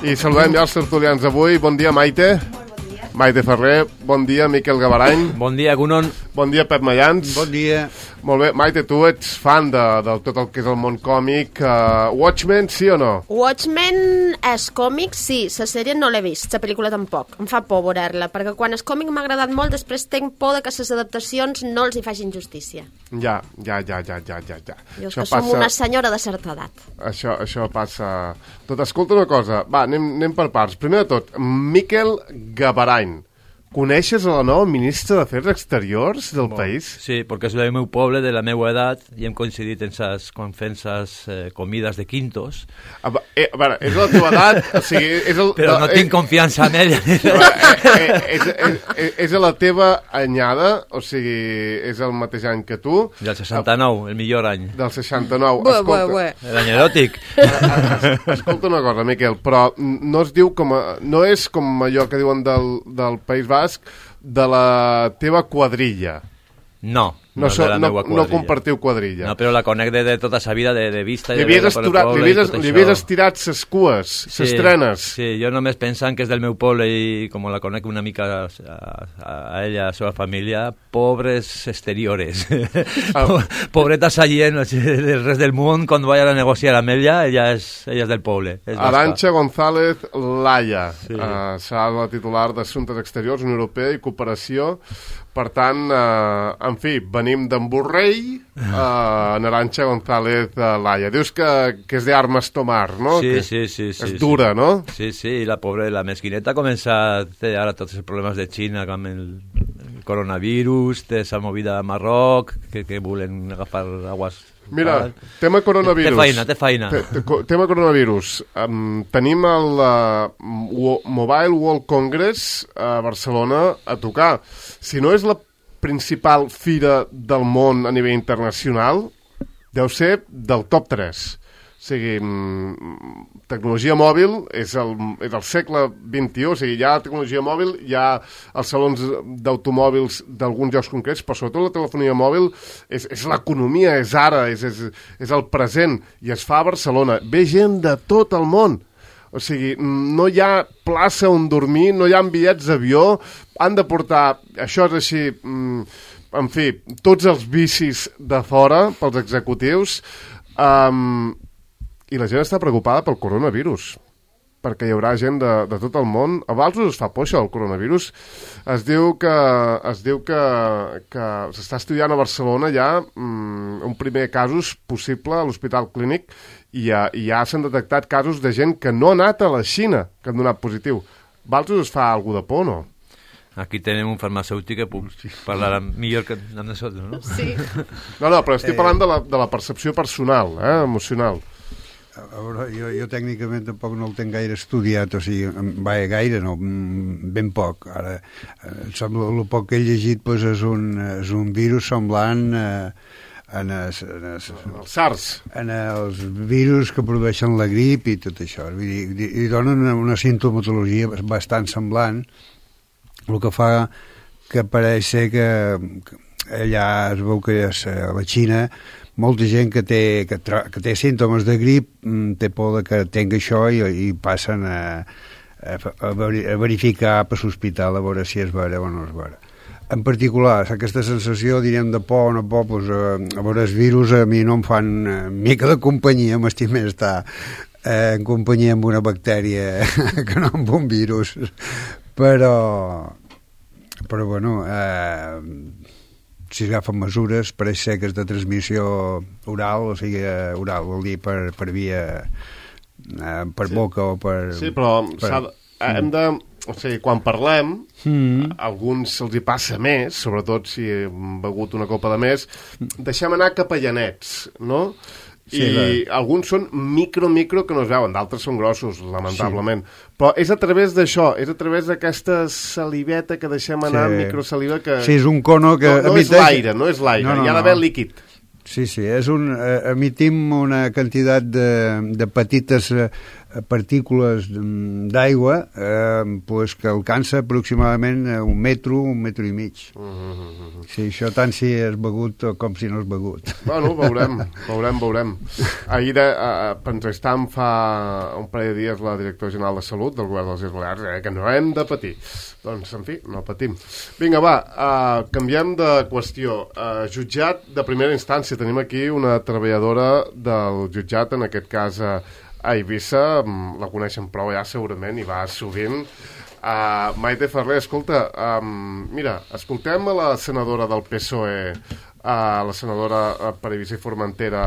I saludem ja els tertulians d'avui. Bon dia, Maite. Maite Ferrer, bon dia, Miquel Gavarany. Bon dia, Gunon. Bon dia, Pep Mayans. Bon dia. Molt bé, Maite, tu ets fan de tot el que és el món còmic. Watchmen, sí o no? Watchmen és còmic, sí. La sèrie no l'he vist, la pel·lícula tampoc. Em fa por veure-la, perquè quan és còmic m'ha agradat molt, després tenc por de que les adaptacions no els hi facin justícia. Ja. Jo és que som una senyora de certa edat. Això passa... Tot, escolta una cosa, va, anem per parts. Primer de tot, Miquel Gavarany. ¿Coneixes a la nova ministra d'Afers Exteriors del país? Sí, perquè és del meu poble, de la meva edat, i hem coincidit quan fem ses comides de quintos. A veure, és la teva edat, o sigui... Però no tinc confiança en ella. És a la teva anyada, o sigui, és el mateix any que tu. Del 69, el millor any. Del 69. L'any eròtic. Escolta una cosa, Miquel, però no es diu no és com allò que diuen del País Basc, de la teva quadrilla. No compartiu quadrilla. No, però la conec de tota sa vida de vista. Li havies estirat ses cues, ses trenes. Sí, jo només pensant que és del meu poble i com la conec una mica a ella, a la seva família, pobres exteriores. Pobreta gent del rest del món, quan vaig a negociar amb ella és del poble. Arantxa González Laya, serà la titular d'Assumptes Exteriors, Unió Europea i Cooperació. Per tant, en fi, venim d'en Borrell a Arantxa González Laya. Dius que és d'armes tomar, no? Sí. És dura, no? Sí, i la pobra, la mesquineta comença a fer ara tots els problemes de Xina amb el coronavirus, té esa movida a Marroc, que volen agafar aguas... Mira, tema coronavirus. Té feina. Tema coronavirus. Tenim el Mobile World Congress a Barcelona a tocar. Si no és la principal fira del món a nivell internacional, deu ser del top 3. O sigui, tecnologia mòbil és el segle XXI, o sigui, hi ha tecnologia mòbil, hi ha els salons d'automòbils d'alguns llocs concrets, però sobretot la telefonia mòbil és l'economia, és ara, és el present, i es fa a Barcelona. Ve gent de tot el món. O sigui, no hi ha plaça on dormir, no hi ha bitllets d'avió, han de portar, això és així, en fi, tots els vicis de fora pels executius, i la gent està preocupada pel coronavirus, perquè hi haurà gent de tot el món. A Valls es fa por això, el coronavirus. Es diu que s'està estudiant a Barcelona ja un primer casos possible a l'Hospital Clínic i ja s'han detectat casos de gent que no ha anat a la Xina, que han donat positiu. Valls es fa alguna de por, no? Aquí tenim un farmacèutic que puc parlar millor que amb nosaltres, no? Sí. No, però estic parlant de la percepció personal, emocional. A veure, jo tècnicament tampoc no el tenc gaire estudiat, o sigui, gaire no, ben poc. Ara, el poc que he llegit és un virus semblant en els SARS, en els virus que produeixen la grip i tot això. I donen una sintomatologia bastant semblant, el que fa que pareix ser que allà es veu que a la Xina molta gent que té símptomes de grip té por que tingui això i passen a verificar per l'hospital a veure si és vera o no és vera. En particular, aquesta sensació, diríem, de por o no por, a veure, els virus a mi no em fan mica de companyia, m'estic més estar en companyia amb una bactèria que no amb un virus. Però bueno, si es agafen mesures, pareix ser que és de transmissió oral, o sigui, oral, vol dir per via, per boca o per... Sí, però hem de... O sigui, quan parlem, a alguns se'ls hi passa més, sobretot si hem begut una copa de més, deixem anar capellanets, no? Sí, i alguns són micro que no es veuen, d'altres són grossos, lamentablement. Sí. Però és a través d'això, és a través d'aquesta saliveta que deixem anar, microsaliva que... Sí, és un cono que... No és l'aire, no, hi ha d'haver líquid. Sí, emitim una quantitat de petites partícules d'aigua pues que alcança aproximadament 1 metro, 1 metro i mig. Sí, això tant si és begut com si no és begut. Bueno, veurem. Ahir entrevistam fa un parell de dies la directora general de Salut del govern de les Illes Balears, que no hem de patir. Doncs, en fi, no patim. Vinga, va, canviem de qüestió. Jutjat de primera instància. Tenim aquí una treballadora del jutjat, en aquest cas a Eivissa, la coneixen prou ja segurament i va sovint. Maite Ferrer, escolta, mira, escoltem a la senadora del PSOE, la senadora per Eivissa i Formentera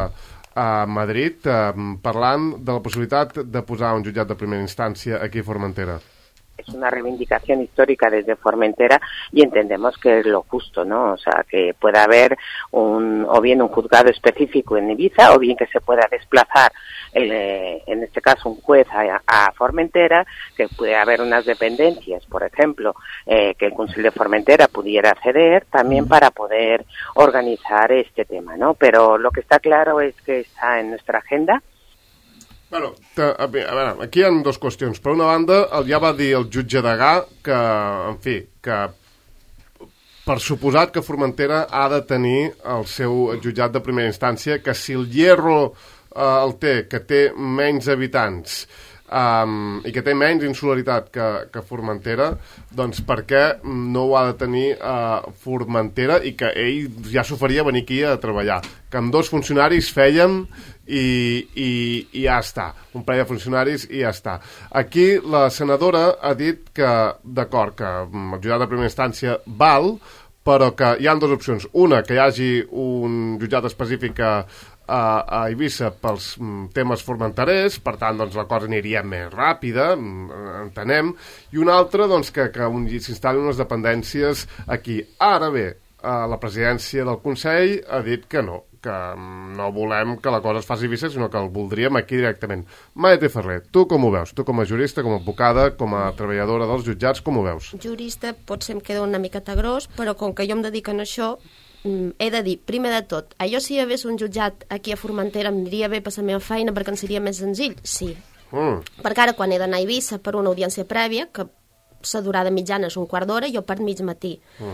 a Madrid, parlant de la possibilitat de posar un jutjat de primera instància aquí a Formentera. Es una reivindicación histórica desde Formentera y entendemos que es lo justo, ¿no? O sea, que pueda haber o bien un juzgado específico en Ibiza o bien que se pueda desplazar, en este caso un juez a Formentera, que pueda haber unas dependencias, por ejemplo, que el Consell de Formentera pudiera ceder también para poder organizar este tema, ¿no? Pero lo que está claro es que está en nuestra agenda. Bueno, a veure, aquí hi ha dues qüestions. Per una banda, ja va dir el jutge Degà que, en fi, que per suposat que Formentera ha de tenir el seu jutjat de primera instància, que si el Hierro el té, que té menys habitants i que té menys insularitat que Formentera, doncs per què no ho ha de tenir Formentera i que ell ja s'oferia venir aquí a treballar, que amb 2 funcionaris fèiem i ja està, un parell de funcionaris i ja està. Aquí la senadora ha dit que, d'acord, que el jutjat de primera instància val, però que hi ha 2 opcions. Una, que hi hagi un jutjat específic a Eivissa pels temes formenterers, per tant, doncs, la cosa aniria més ràpida, entenem, i una altra, doncs, que s'instal·lin unes dependències aquí. Ara bé, la presidència del Consell ha dit que no volem que la cosa es faci a Eivissa, sinó que el voldríem aquí directament. Maite Ferrer, tu com ho veus? Tu com a jurista, com a advocada, com a treballadora dels jutjats, com ho veus? Jurista potser em queda una miqueta gros, però com que jo em dedico a això, he de dir, primer de tot, jo si hi hagués un jutjat aquí a Formentera em diria bé per la meva feina perquè em seria més senzill, sí. Perquè ara quan he d'anar a Eivissa per una audiència prèvia, que la durada mitjana és un quart d'hora, jo part mig matí.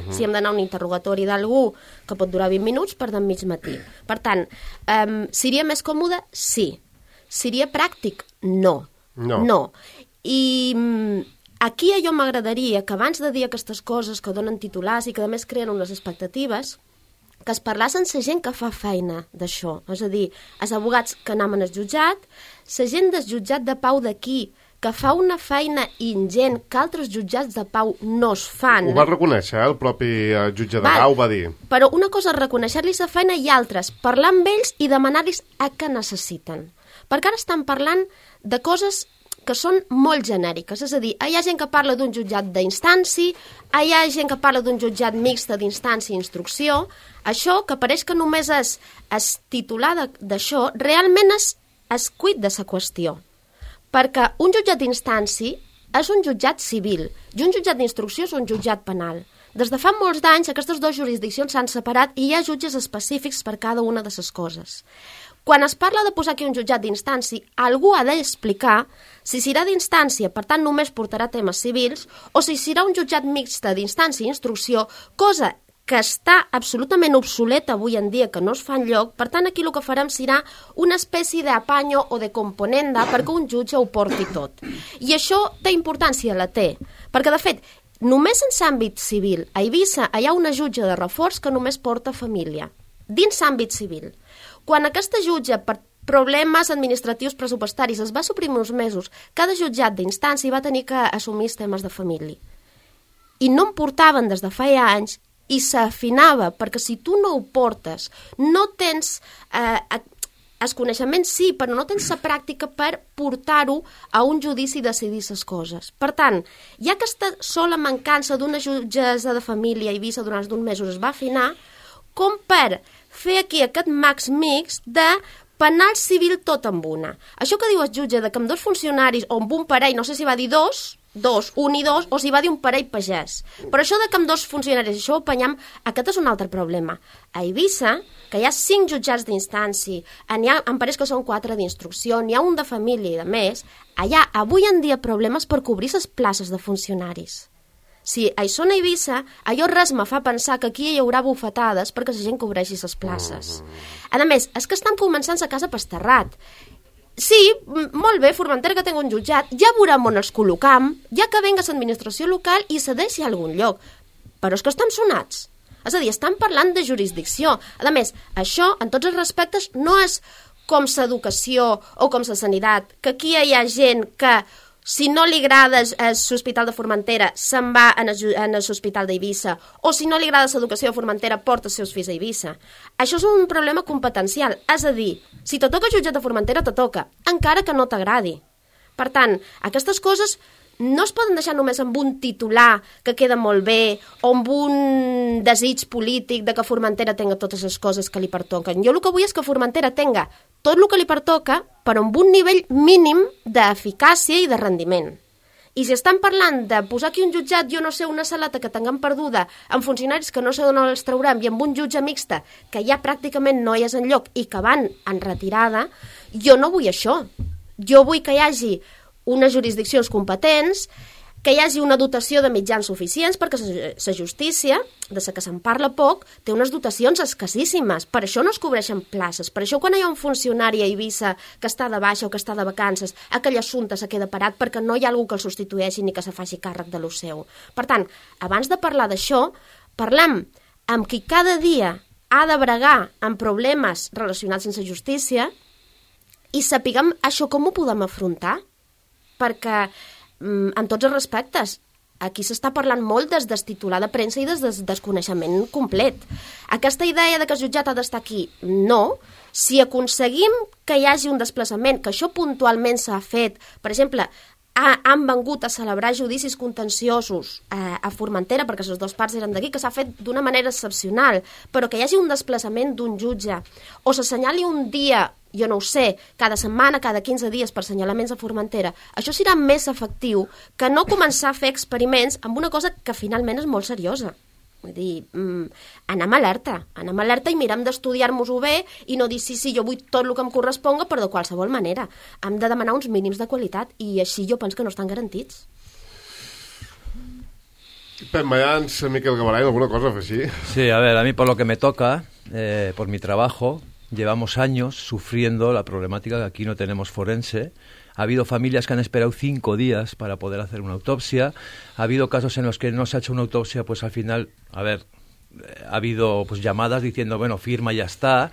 Si hem d'anar a un interrogatori d'algú que pot durar 20 minuts, part mig matí. Per tant, seria més còmode? Sí. Seria pràctic? No. I aquí a jo m'agradaria que abans de dir aquestes coses que donen titulars i que a més creen unes expectatives, que es parlés amb la gent que fa feina d'això. És a dir, els advocats que anem al jutjat, la gent del jutjat de pau d'aquí, que fa una feina ingent que altres jutjats de pau no es fan. Ho va reconèixer, el propi jutge de Gau va dir. Però una cosa és reconèixer-los la feina i altres, parlar amb ells i demanar-los a què necessiten. Perquè ara estan parlant de coses que són molt genèriques, és a dir, hi ha gent que parla d'un jutjat d'instància, hi ha gent que parla d'un jutjat mixta d'instància i instrucció, això que pareix que només és titular d'això, realment és cuit de la qüestió, perquè un jutjat d'instància és un jutjat civil i un jutjat d'instrucció és un jutjat penal. Des de fa molts d'anys aquestes 2 jurisdiccions s'han separat i hi ha jutges específics per cada una de les coses. Quan es parla de posar aquí un jutjat d'instància, algú ha d'explicar si serà d'instància, per tant només portarà temes civils, o si serà un jutjat mixta d'instància i instrucció, cosa que està absolutament obsoleta avui en dia, que no es fa enlloc. Per tant, aquí el que farem serà una espècie d'apanyo o de componenda perquè un jutge ho porti tot. I això té importància, la té, perquè de fet, només en l'àmbit civil, a Eivissa hi ha una jutge de reforç que només porta família, dins l'àmbit civil. Quan aquesta jutge, per problemes administratius pressupostaris, es va suprimir uns mesos, cada jutjat d'instància va tenir que assumir els temes de família. I no em portaven des de feia anys i s'afinava, perquè si tu no ho portes, no tens el coneixement sí, però no tens la pràctica per portar-ho a un judici i decidir les coses. Per tant, hi ha aquesta sola mancança d'una jutgessa de família a Eivissa durant uns mesos es va afinar, com per fer aquí aquest max mix de penal civil tot amb una. Això que diu el jutge de que amb 2 funcionaris o amb un parell, no sé si va dir 2, 2, un i 2, o s'hi va dir un parell pagès. Però això de que amb 2 funcionaris això ho apanyam, aquest és un altre problema. A Eivissa, que hi ha 5 jutjats d'instància, em pareix que són 4 d'instrucció, n'hi ha un de família i de més, allà avui en dia problemes per cobrir les places de funcionaris. Si això a Eivissa, allò res me fa pensar que aquí hi haurà bufetades perquè la gent cobreixi les places. A més, és que estan començant a casa Pasterrat. Sí, molt bé, Formentera que tingui un jutjat, ja veurem on els col·locam, ja que venga l'administració local i cedeixi a algun lloc. Però és que estan sonats. És a dir, estan parlant de jurisdicció. A més, això, en tots els respectes, no és com l'educació o com la sanitat, que aquí hi ha gent que, si no li agrada l'Hospital de Formentera, se'n va a l'Hospital d'Eivissa, o si no li agrada l'educació de Formentera, porta els seus fills a Eivissa. Això és un problema competencial, és a dir, si te toca jutjat de Formentera, te toca, encara que no t'agradi. Per tant, aquestes coses no es poden deixar només amb un titular que queda molt bé o amb un desig polític de que Formentera tenga totes les coses que li pertoquen. Jo el que vull és que Formentera tenga tot el que li pertoca, però amb un nivell mínim d'eficàcia i de rendiment. I si estan parlant de posar aquí un jutjat, jo no sé, una saleta que tinguem perduda, amb funcionaris que no sé d'on els traurem, i amb un jutge mixta que ja pràcticament no hi és enlloc i que van en retirada, jo no vull això. Jo vull que hi hagi unes jurisdiccions competents, que hi hagi una dotació de mitjans suficients, perquè la justícia, de la que se'n parla poc, té unes dotacions escassíssimes. Per això no es cobreixen places. Per això quan hi ha un funcionari a Eivissa que està de baixa o que està de vacances, aquell assumpte se queda parat perquè no hi ha algú que el substitueixi ni que se faci càrrec de lo seu. Per tant, abans de parlar d'això, parlem amb qui cada dia ha de bregar amb problemes relacionats amb la justícia i sapiguem això com ho podem afrontar. Perquè, en tots els respectes, aquí s'està parlant molt des del titular de premsa i des del desconeixement complet. Aquesta idea de que el jutjat ha d'estar aquí, no. Si aconseguim que hi hagi un desplaçament, que això puntualment s'ha fet, per exemple, han vengut a celebrar judicis contenciosos a Formentera, perquè les dues parts eren d'aquí, que s'ha fet d'una manera excepcional, però que hi hagi un desplaçament d'un jutge, o s'assenyali un dia, jo no ho sé, cada setmana, cada 15 dies per assenyalaments a Formentera, això serà més efectiu que no començar a fer experiments amb una cosa que finalment és molt seriosa. Vull dir, anem alerta i mirem d'estudiar-nos-ho bé i no dir sí, jo vull tot el que em corresponga, però de qualsevol manera. Hem de demanar uns mínims de qualitat i així jo penso que no estan garantits. Pep Mayans, Miquel Gabarany, ¿alguna cosa así? Sí, a ver, a mí por lo que me toca, por mi trabajo, llevamos años sufriendo la problemática que aquí no tenemos forense. Ha habido familias que han esperado 5 días para poder hacer una autopsia. Ha habido casos en los que no se ha hecho una autopsia, pues al final, ha habido pues llamadas diciendo, bueno, firma y ya está.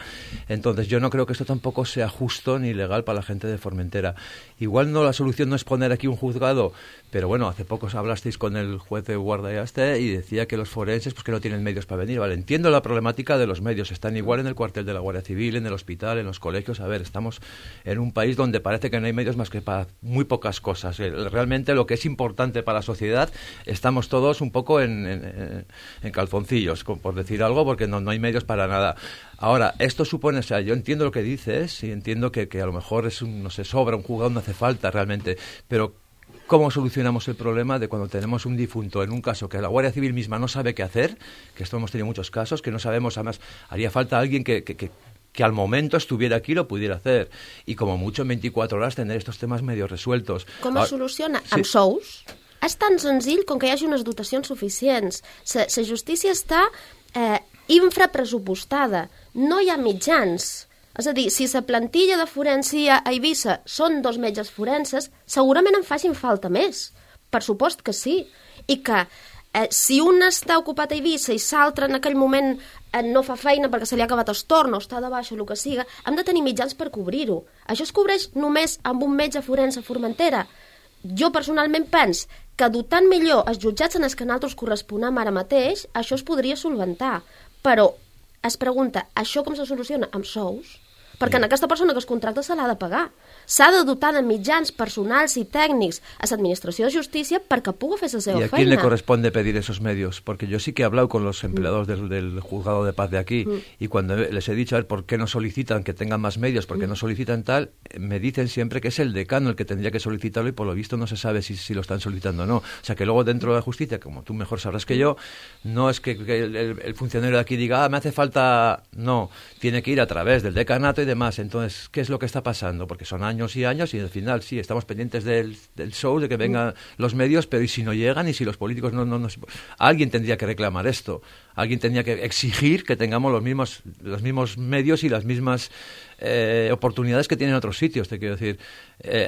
Entonces yo no creo que esto tampoco sea justo ni legal para la gente de Formentera. Igual no, la solución no es poner aquí un juzgado, pero bueno, hace poco hablasteis con el juez de Guardayaste y decía que los forenses pues que no tienen medios para venir. Vale, entiendo la problemática de los medios, están igual en el cuartel de la Guardia Civil, en el hospital, en los colegios. A ver, estamos en un país donde parece que no hay medios más que para muy pocas cosas. Realmente lo que es importante para la sociedad, estamos todos un poco en calzoncillos, por decir algo, porque no hay medios para nada. Ahora, esto supone, o sea, yo entiendo lo que dices y entiendo que a lo mejor no se sobra un juzgado, no hace falta realmente, pero ¿cómo solucionamos el problema de cuando tenemos un difunto en un caso que la Guardia Civil misma no sabe qué hacer? Que esto hemos tenido muchos casos, que no sabemos, además, haría falta alguien que al momento estuviera aquí y lo pudiera hacer. Y como mucho en 24 horas tener estos temas medio resueltos. Com es soluciona? Sí. Amb sous? És tan senzill com que hi hagi unes dotacions suficients. La justícia està infrapressupostada. No hi ha mitjans. És a dir, si la plantilla de forensia a Eivissa són 2 metges forenses, segurament en facin falta més. Per supost que sí. I que si un està ocupat a Eivissa i l'altre en aquell moment no fa feina perquè se li ha acabat el torn o està de baixa o el que siga, hem de tenir mitjans per cobrir-ho. Això es cobreix només amb un metge forense a Formentera. Jo personalment penso que dotant millor els jutjats en els que nosaltres corresponem ara mateix, això es podria solventar. Però es pregunta, això com se soluciona? Amb sous? perquè en aquesta persona que es contracta se l'ha de pagar. S'ha de dotar de mitjans personals y técnicos a la Administración de Justicia para que pueda hacer esa feina. ¿Y a quién le corresponde pedir esos medios? Porque yo sí que he hablado con los empleados del juzgado de paz de aquí y cuando les he dicho a ver por qué no solicitan que tengan más medios, por qué no solicitan tal, me dicen siempre que es el decano el que tendría que solicitarlo y por lo visto no se sabe si lo están solicitando o no. O sea que luego dentro de la justicia, como tú mejor sabrás que yo, no es que el funcionario de aquí diga, me hace falta... No, tiene que ir a través del decanato y demás. Entonces, ¿qué es lo que está pasando? Porque son años y años y al final sí, estamos pendientes del show, de que vengan los medios, pero ¿y si no llegan? ¿Y si los políticos no? Alguien tendría que reclamar esto. Alguien tendría que exigir que tengamos los mismos medios y las mismas oportunidades que tienen otros sitios. Te quiero decir,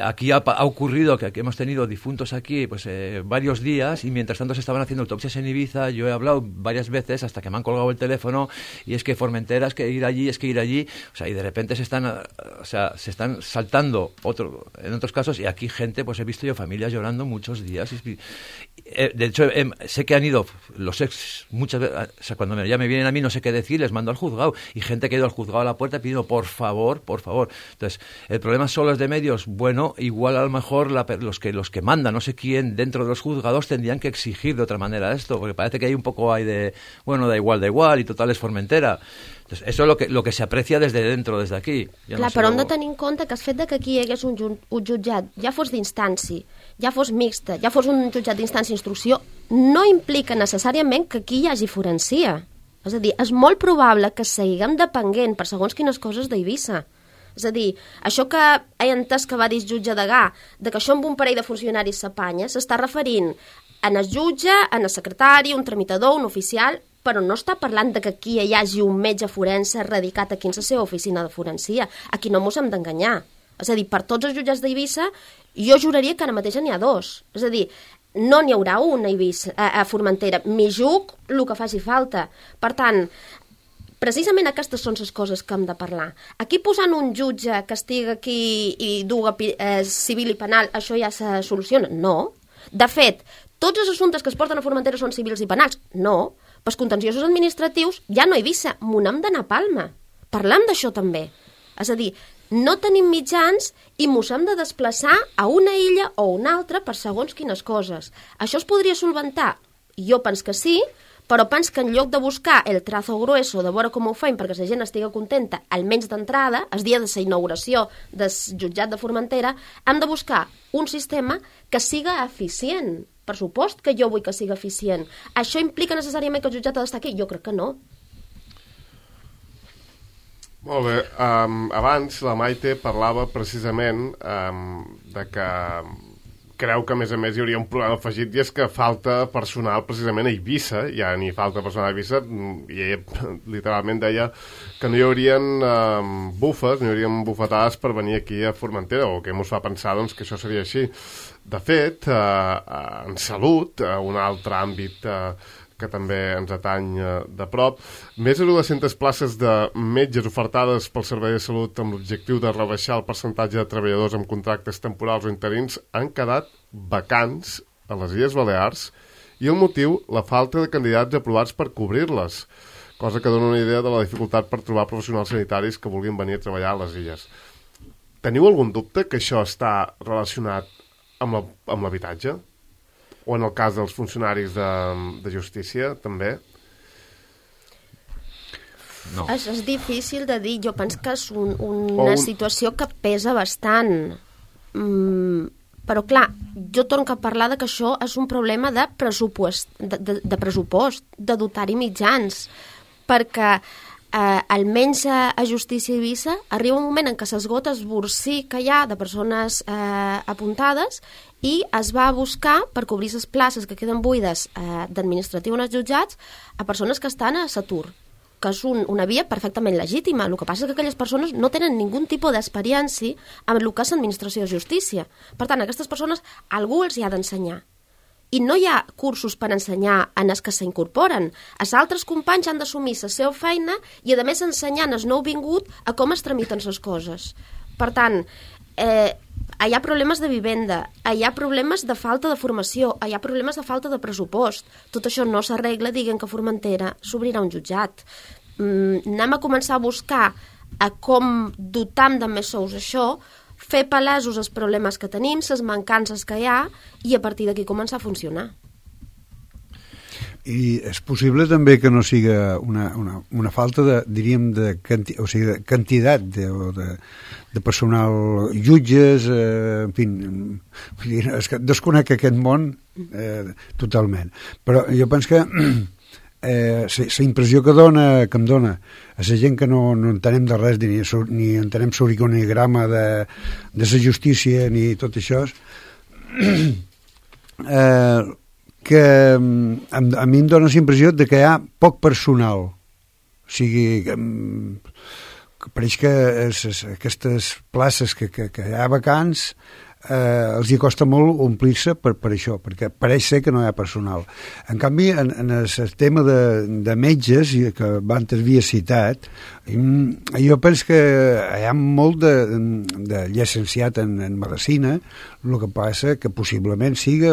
aquí ha ocurrido que hemos tenido difuntos aquí pues varios días y mientras tanto se estaban haciendo autopsias en Ibiza. Yo he hablado varias veces hasta que me han colgado el teléfono y es que Formentera, es que ir allí, o sea, y de repente se están saltando en otros casos y aquí gente, pues he visto yo familias llorando muchos días. De hecho, sé que han ido los ex muchas veces, o sea, cuando ya me vienen a mí no sé qué decir, les mando al juzgado y gente que ha ido al juzgado a la puerta pidiendo por favor. Entonces, el problema solo es de medios. Bueno, igual a lo mejor los que mandan, no sé quién, dentro de los juzgados tendrían que exigir de otra manera esto, porque parece que hay un poco ahí de, bueno, da igual, y total es Formentera. Entonces, eso es lo que se aprecia desde dentro, desde aquí. Clar, no sé, però hem de tenir en compte que el fet que aquí hi hagués un jutjat, ja fos d'instància, ja fos mixta, ja fos un jutjat d'instància instrucció, no implica necessàriament que aquí hi hagi forencia. És a dir, és molt probable que seguim depenent per segons quines coses d'Eivissa. És a dir, això que he entès que va dir el jutge Degà, de que això amb un parell de funcionaris s'apanya, s'està referint en el jutge, en el secretari, un tramitador, un oficial, però no està parlant de que aquí hi hagi un metge forense radicat aquí en la seva oficina de forencia. Aquí no mos hem d'enganyar. És a dir, per tots els jutjats d'Eivissa, jo juraria que ara mateix n'hi ha dos. És a dir, no n'hi haurà un a Formentera. M'hi juc el que faci falta. Per tant, precisament aquestes són les coses que hem de parlar. Aquí posant un jutge que estigui aquí i duga civil i penal, això ja se soluciona? No. De fet, tots els assumptes que es porten a Formentera són civils i penals? No. Pels contenciosos administratius ja no hi Eivissa, m'ho n'hem d'anar a Palma. Parlem d'això també. És a dir, no tenim mitjans i mos hem de desplaçar a una illa o una altra per segons quines coses. Això es podria solventar? Jo penso que sí, però penso que en lloc de buscar el trazo grueso de veure com ho fem perquè la gent estigui contenta, almenys d'entrada, el dia de la inauguració del jutjat de Formentera, hem de buscar un sistema que siga eficient. Per supost que jo vull que siga eficient. Això implica necessàriament que el jutjat ha d'estar aquí? Jo crec que no. Molt bé. Abans la Maite parlava precisament de que creu que a més hi hauria un problema afegit i és que falta personal precisament a Eivissa, ja ni falta personal a Eivissa, i ella literalment deia que no hi haurien bufes, no hi haurien bufetades per venir aquí a Formentera, o que ens fa pensar doncs, que això seria així. De fet, en salut, un altre àmbit que també ens atany de prop, més de 200 places de metges ofertades pel Servei de Salut amb l'objectiu de rebaixar el percentatge de treballadors amb contractes temporals o interins han quedat vacants a les Illes Balears i el motiu, la falta de candidats aprovats per cobrir-les, cosa que dona una idea de la dificultat per trobar professionals sanitaris que vulguin venir a treballar a les illes. Teniu algun dubte que això està relacionat amb l'habitatge? O en el cas dels funcionaris de justícia, també? No. És difícil de dir. Jo penso que és una situació que pesa bastant. Però, clar, jo torno a parlar de que això és un problema de pressupost, de dotar-hi mitjans, perquè almenys a Justícia Eivissa arriba un moment en què s'esgota el borsí que hi ha de persones apuntades i es va buscar per cobrir les places que queden buides d'administratiu en els jutjats a persones que estan a l'atur, que és una via perfectament legítima. El que passa és que aquelles persones no tenen ningú tipus d'experiència amb el que és l'administració de justícia. Per tant, a aquestes persones algú els hi ha d'ensenyar. I no hi ha cursos per ensenyar en els que s'incorporen. Els altres companys han d'assumir la seva feina i, a més, ensenyant el nou vingut a com es tramiten les coses. Per tant, hi ha problemes de vivenda, hi ha problemes de falta de formació, hi ha problemes de falta de pressupost. Tot això no s'arregla dient que a Formentera s'obrirà un jutjat. Anem a començar a buscar a com dotam de més sous això, fer palesos els problemes que tenim, les mancances que hi ha, i a partir d'aquí començar a funcionar. I és possible també que no siga una falta de quantitat de personal, jutges, en fi, és que desconec aquest món totalment. Però jo penso que la impressió que em dona a la gent que no entenem de res, ni entenem l'organigrama de la justícia ni tot això, que a mi em dona la impressió de que hi ha poc personal. O sigui, que pareix que aquestes places que hi ha vacants els hi costa molt omplir-se per això, perquè pareix ser que no hi ha personal. En canvi, en el tema de metges, que abans havia citat, jo penso que hi ha molt de llicenciat en medicina, el que passa que possiblement siga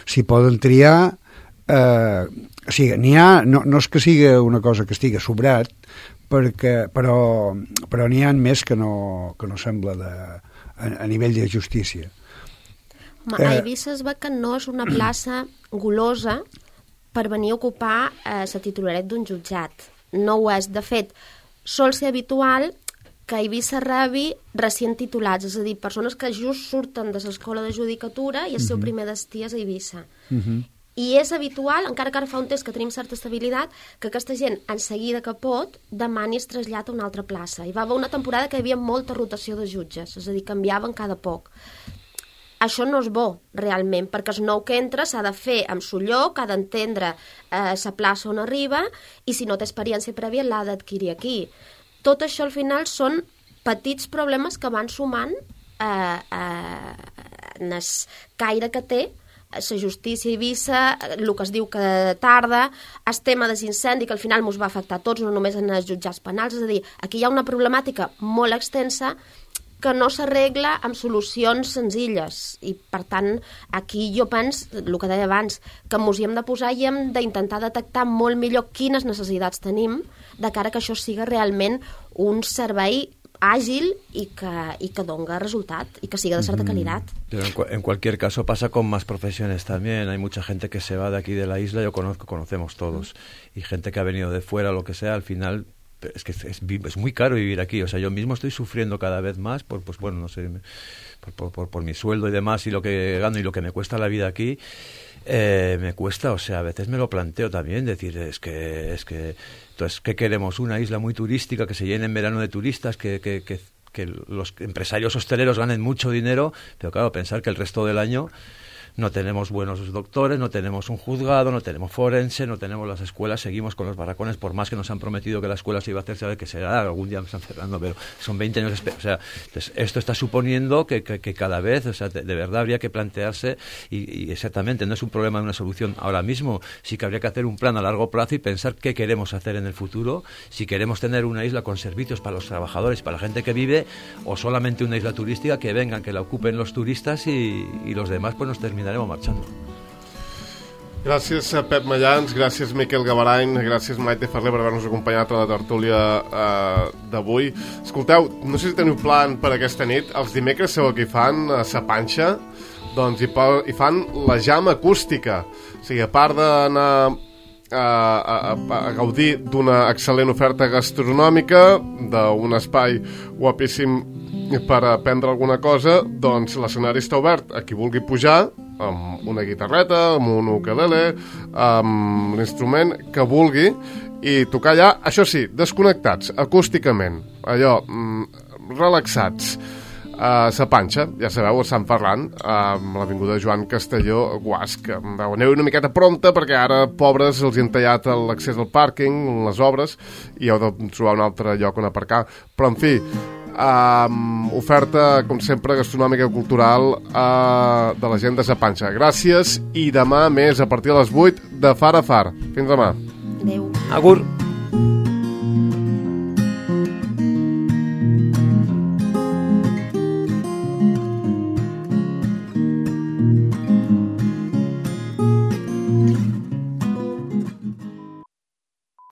si poden triar, o sigui, n'hi ha, no és que siga una cosa que estigui sobrat, però n'hi ha més que no sembla a nivell de justícia. A Eivissa es ve que no és una plaça golosa per venir a ocupar la titularitat d'un jutjat. No ho és. De fet, sol ser habitual que a Eivissa rebi recient titulats, és a dir, persones que just surten de l'escola de judicatura i el seu primer destí és a Eivissa. I és habitual, encara que ara fa un temps que tenim certa estabilitat, que aquesta gent, en seguida que pot, demani es trasllada a una altra plaça. Hi va haver una temporada que hi havia molta rotació de jutges, és a dir, canviaven cada poc. Això no és bo, realment, perquè el nou que entra s'ha de fer amb su lloc, ha d'entendre la plaça on arriba, i si no té experiència prèvia l'ha d'adquirir aquí. Tot això, al final, són petits problemes que van sumant en el caire que té la justícia a Eivissa, el que es diu que tarda, el tema dels incendis, que al final ens va afectar a tots, no només en els jutjats penals, és a dir, aquí hi ha una problemàtica molt extensa que no s'arregla amb solucions senzilles, i per tant aquí jo penso, el que deia abans, que ens hi hem de posar i hem d'intentar detectar molt millor quines necessitats tenim de cara que això siga realment un servei ágil y que donga resultat y que siga de cierta calidad. Pero en cualquier caso pasa con más profesiones también. Hay mucha gente que se va de aquí de la isla, conocemos todos, y gente que ha venido de fuera, lo que sea, al final es que es muy caro vivir aquí. O sea, yo mismo estoy sufriendo cada vez más por mi sueldo y demás, y lo que gano y lo que me cuesta la vida aquí. Me cuesta, o sea, a veces me lo planteo también, decir, es que entonces, ¿qué queremos? Una isla muy turística que se llene en verano de turistas, que los empresarios hosteleros ganen mucho dinero, pero claro, pensar que el resto del año no tenemos buenos doctores, no tenemos un juzgado, no tenemos forense, no tenemos las escuelas, seguimos con los barracones, por más que nos han prometido que la escuela se iba a hacer, sabe que será, algún día me están cerrando, pero son 20 años, o sea, entonces esto está suponiendo que cada vez, o sea, de verdad habría que plantearse, y exactamente, no es un problema de una solución ahora mismo, sí que habría que hacer un plan a largo plazo y pensar qué queremos hacer en el futuro, si queremos tener una isla con servicios para los trabajadores, para la gente que vive, o solamente una isla turística que vengan, que la ocupen los turistas y los demás pues nos terminaremos marxant. Gràcies a Pep Mallans, gràcies Miquel Gavarany, gràcies Maite Ferrer per haver-nos acompanyat a la tertúlia d'avui. Escolteu, no sé si teniu plan per aquesta nit, els dimecres sabeu què fan a Sa Panxa? Doncs hi fan la jam acústica, o sigui, a part d'anar a gaudir d'una excel·lent oferta gastronòmica, d'un espai guapíssim per aprendre alguna cosa, doncs l'escenari està obert a qui vulgui pujar amb una guitarreta, amb un ukelele, amb l'instrument que vulgui, i tocar allà, això sí, desconnectats, acústicament, allò, relaxats. A Sa Panxa, ja sabeu, a Sant Ferran, amb l'avinguda Joan Castelló, Guasc. Aneu una miqueta prompte, perquè ara, pobres, els han tallat l'accés al pàrquing, les obres, i heu de trobar un altre lloc on aparcar. Però, en fi, oferta, com sempre, gastronòmica i cultural de la gent de Sa Panxa. Gràcies, i demà més, a partir de les 8, de far a far. Fins demà. Adéu. Agur.